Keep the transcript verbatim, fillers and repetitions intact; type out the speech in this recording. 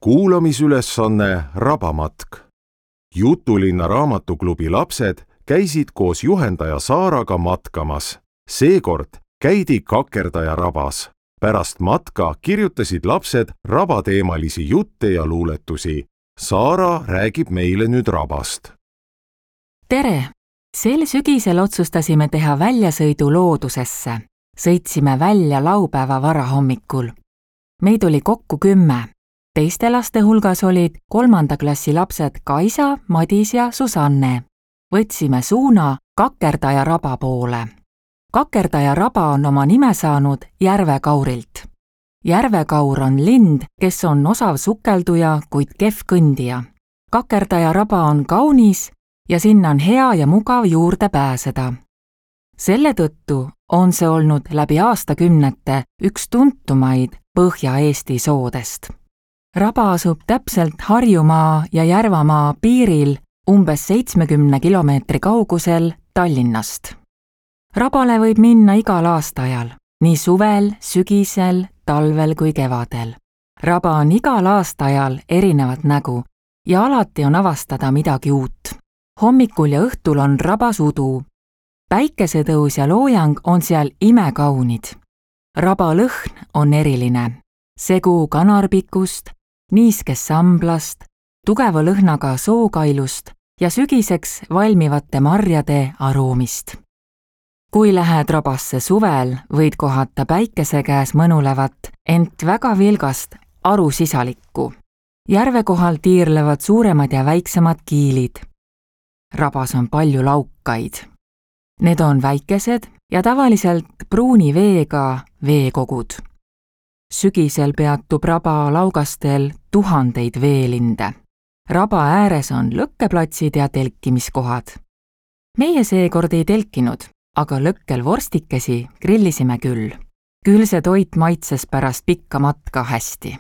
kuulamisülesanne Rabamatk. Jutulinna raamatuklubi lapsed käisid koos juhendaja Saaraga matkamas. Seekord käidi Kakerdaja rabas. Pärast matka kirjutasid lapsed rabateemalisi jutte ja luuletusi. Saara räägib meile nüüd rabast. Tere! Sel sügisel otsustasime teha väljasõidu loodusesse. Sõitsime välja laupäeva varahommikul. Meid oli kokku kümme. Teiste laste hulgas olid kolmanda klassi lapsed Kaisa, Madis ja Susanne. Võtsime suuna Kakerdaja raba poole. Kakerdaja raba on oma nime saanud Järvekaurilt. Järvekaur on lind, kes on osav sukelduja, kuid kehv kõndija. Kakerdaja raba on kaunis ja sinna on hea ja mugav juurde pääseda. Selle tõttu on see olnud läbi aastakümnete üks tuntumaid Põhja-Eesti soodest. Raba asub täpselt Harjumaa ja Järvamaa piiril umbes seitsmekümne kilomeetri kaugusel Tallinnast. Rabale võib minna igal aastaajal, nii suvel, sügisel, talvel kui kevadel. Raba on igal aastaajal erinevat nägu ja alati on avastada midagi uut. Hommikul ja õhtul on rabas udu. Päikesetõus ja loojang on seal imekaunid. Raba lõhn on eriline. Segu kanarpikust, niiskest samblast, tugeva lõhnaga sookailust ja sügiseks valmivate marjade aroomist. Kui lähed rabasse suvel, võid kohata päikese käes mõnulevat, ent väga vilgast arusisalikku. Järve kohal tiirlevad suuremad ja väiksemad kiilid. Rabas on palju laukaid. Need on väikesed ja tavaliselt pruuni veega veekogud. Sügisel peatub raba laugastel tuhandeid veelinde. Raba ääres on lõkkeplatsid ja telkimiskohad. Meie seekord ei telkinud, aga lõkkel vorstikesi grillisime küll. Küll see toit maitses pärast pikka matka hästi.